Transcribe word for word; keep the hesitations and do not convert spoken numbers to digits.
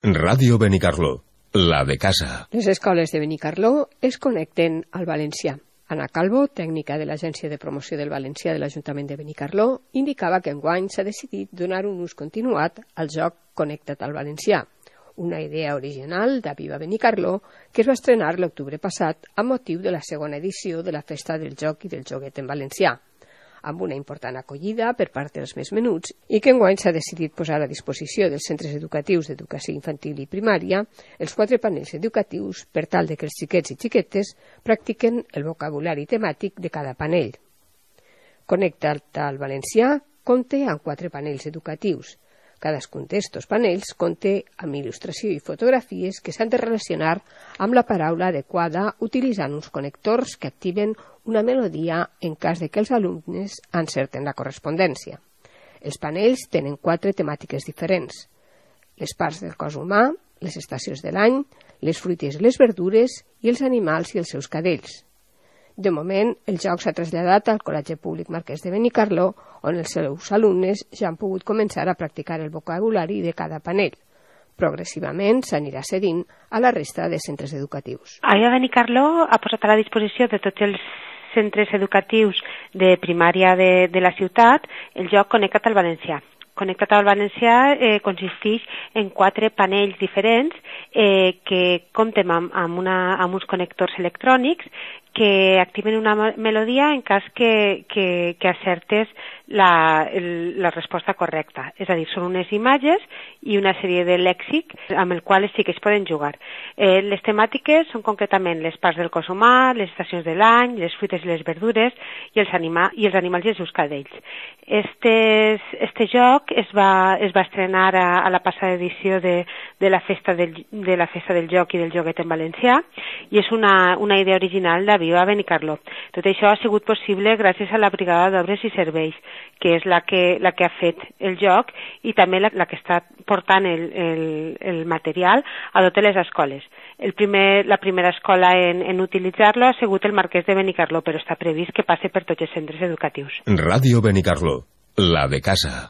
Ràdio Benicarló, la de casa. Les escoles de Benicarló es connecten al valencià. Ana Calvo, tècnica de l'Agència de Promoció del Valencià de l'Ajuntament de Benicarló, indicava que enguany s'ha decidit donar un ús continuat al joc Connecta't al Valencià, una idea original d'Aviva Benicarló que es va estrenar l'octubre passat amb motiu de la segona edició de la Festa del Joc i del Joguet en Valencià, amb una important acollida per part dels més menuts i que enguany s'ha decidit posar a disposició dels centres educatius d'educació infantil i primària els quatre panells educatius per tal de que els xiquets i xiquetes practiquen el vocabulari temàtic de cada panell. Connecta't al Valencià compta amb quatre panells educatius. Cadascun d'estos panells compta amb il·lustració i fotografies que s'han de relacionar amb la paraula adequada utilitzant uns connectors que activen una melodia en cas de que els alumnes encerten la correspondència. Els panells tenen quatre temàtiques diferents: les parts del cos humà, les estacions de l'any, les fruites i les verdures i els animals i els seus cadells. De moment, el joc s'ha traslladat al Col·legi Públic Marquès de Benicarló, on els seus alumnes ja han pogut començar a practicar el vocabulari de cada panell. Progressivament s'anirà cedint a la resta de centres educatius. Aviva Benicarló ha posat a la disposició de tots els centres educatius de primària de, de la ciutat el joc Connecta't al Valencià. Connecta't al Valencià eh, consisteix en quatre panells diferents eh, que compten amb, amb, una, amb uns connectors electrònics que activen una melodia en cas que, que, que acertes la, el, la resposta correcta. És a dir, són unes imatges i una sèrie de lèxic amb el qual sí que es poden jugar. Eh, les temàtiques són concretament les parts del cos humà, les estacions de l'any, les fruites i les verdures i els, anima, i els animals i els seus cadells. Este, este joc es va, es va estrenar a, a la passada edició de, de, la festa del, de la Festa del Joc i del Joguet en Valencià i és una, una idea original de Aviva Benicarló. Tot això ha sigut possible gràcies a la Brigada d'Obres i Serveis, que és la que, la que ha fet el joc i també la, la que està portant el, el, el material a totes les escoles. El primer, la primera escola en, en utilitzar-lo ha sigut el Marquès de Benicarló, però està previst que passi per tots els centres educatius. Ràdio Benicarló, la de casa.